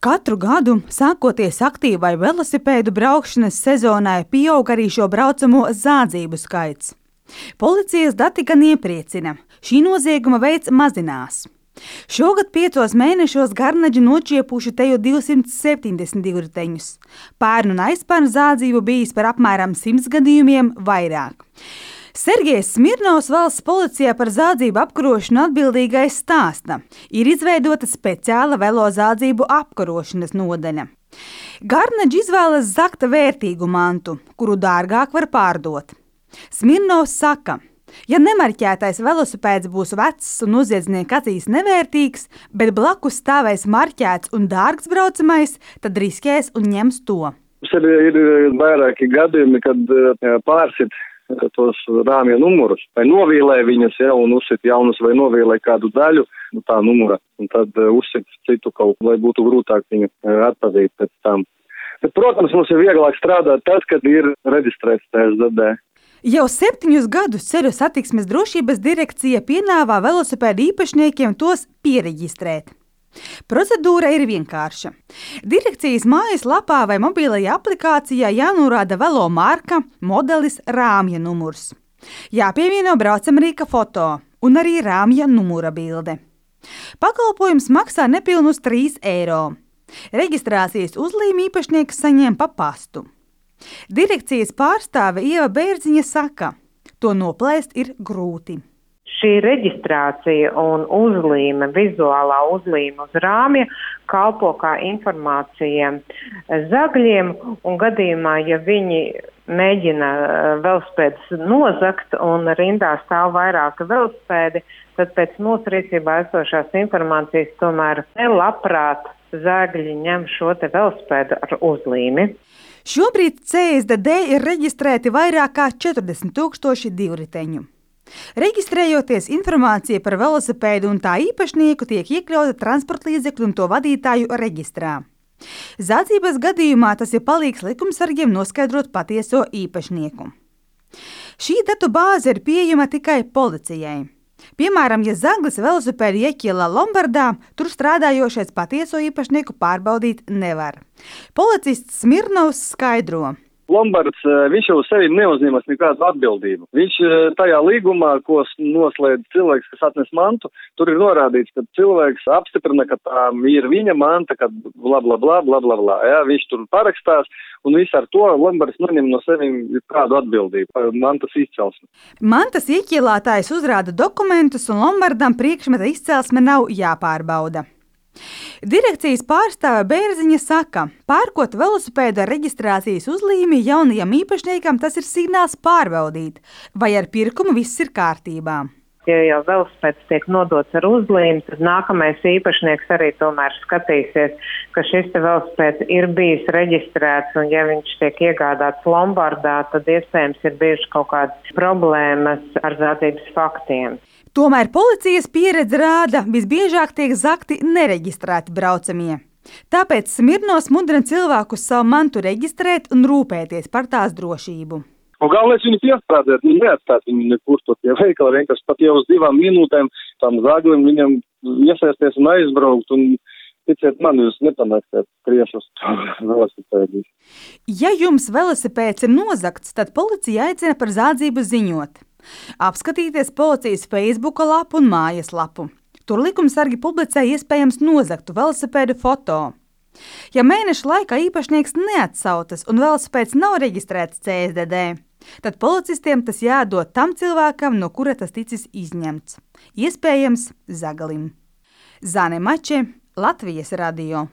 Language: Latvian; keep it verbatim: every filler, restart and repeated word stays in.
Katru gadu, sākoties aktīvai velosipēdu braukšanas sezonai, pieaug arī šo braucamo zādzību skaits. Policijas dati gan iepriecina, šī nozieguma veids mazinās. Šogad piecos mēnešos garnaģi nočiepuši te jau divsimt septiņdesmit divi riteņus. Pērn un aizpērn zādzību bijis par apmēram simts gadījumiem vairāk. Sergejs Smirnovs valsts policijā par zādzību apkarošanu atbildīgais stāsta. Ir izveidota speciāla velo zādzību apkarošanas nodaļa. Garnaģi izvēlas zakta vērtīgu mantu, kuru dārgāk var pārdot. Smirnovs saka, ja nemarķētais velosipēds būs vecs un noziedznieka acīs nevērtīgs, bet blakus stāvēs marķēts un dārgs braucamais, tad riskēs un ņems to. Mums ir, ir vairāki gadījumi, kad pārsit tos rāmja numurus, vai novīlē viņas, ja, un uzsit jaunus, vai novīlē kādu daļu, nu, tā numura, un tad uh, uzsit citu kaut, lai būtu grūtāk viņu uh, atpazīt pēc tam. Bet, protams, mums ir vieglāk strādāt tad, kad ir reģistrēts T S D D. Jau septiņus gadus Ceļu satiksmes drošības direkcija piedāvā velosipēdu īpašniekiem tos piereģistrēt. Procedūra ir vienkārša. Direkcijas mājaslapā vai mobilajā aplikācijā jānorāda velo marka, modelis, rāmja numurs. Jāpievieno braucamrīka foto un arī rāmja numura bilde. Pakalpojums maksā nepilnus trīs eiro. Reģistrācijas uzlīmi īpašnieks saņem pa pastu. Direkcijas pārstāve Ieva Bērziņa saka, to noplēst ir grūti. Šī reģistrācija un uzlīme, vizuālā uzlīme uz rāmja kalpo kā informācija zagļiem, un gadījumā, ja viņi mēģina velosipēdus nozagt un rindā stāv vairāki velosipēdi, tad pēc mūsu rīcībā esošās informācijas tomēr nelabprāt zagļi ņem šo te velosipēdu ar uzlīmi. Šobrīd C S D D ir reģistrēti vairāk kā četrdesmit tūkstoši divriteņu. Reģistrējoties, informācija par velosipēdu un tā īpašnieku tiek iekļauta transportlīdzekļu un to vadītāju reģistrā. Zādzības gadījumā tas ir palīgs likumsargiem noskaidrot patieso īpašnieku. Šī datu bāze ir pieejama tikai policijai. Piemēram, ja zaglis velosipēdu ieķila Lombardā, tur strādājošais patieso īpašnieku pārbaudīt nevar. Policists Smirnovs skaidro. Lombards, viņš jau sevi neuzņemas nekādu atbildību. Viņš tajā līgumā, ko noslēdz cilvēks, kas atnes mantu, tur ir norādīts, ka cilvēks apstiprina, ka tā ir viņa manta, ka bla bla bla bla bla bla. Ja, viņš tur parakstās, un viss ar to Lombards neņem no sevi kādu atbildību par mantas izcelsmi. Mantas ieķilātājs uzrāda dokumentus, un Lombardam priekšmeta izcelsme nav jāpārbauda. Direkcijas pārstāve Bērziņa saka, pērkot velosipēdu ar reģistrācijas uzlīmi jaunajam īpašniekam, tas ir signāls pārbaudīt, vai ar pirkumu viss ir kārtībā. Ja jau velosipēds tiek nodots ar uzlīmi, tad nākamais īpašnieks arī tomēr skatīsies, ka šis te velosipēds ir bijis reģistrēts, un ja viņš tiek iegādāts Lombardā, tad iespējams ir bijušas kaut kādas problēmas ar zādzības faktiem. Tomēr policijas pieredze rāda, visbiežāk tiek zakti nereģistrēti braucamie. Tāpēc Smirnovs mudina cilvēkus savu mantu reģistrēt un rūpēties par tās drošību. Un galvenais viņu piestrādāt, viņu neatstāt viņu nekur to tie veikali, vienkārši pat jau uz divām minūtēm tam zaglim viņam iesaisties un aizbraukt, un ticiet man, jūs nepanāksiet priešus velosipēdīs. Ja jums velosipēds ir nozagts, tad policija aicina par zādzību ziņot. Apskatīties policijas Facebooka lapu un mājaslapu. Tur likumsargi publicē iespējams nozagtu velosipēdu foto. Ja mēneša laikā īpašnieks neatsautas un velosipēds nav reģistrēts C S D D, tad policistiem tas jādod tam cilvēkam, no kura tas ticis izņemts. Iespējams zagalim. Zane Mače, Latvijas radio.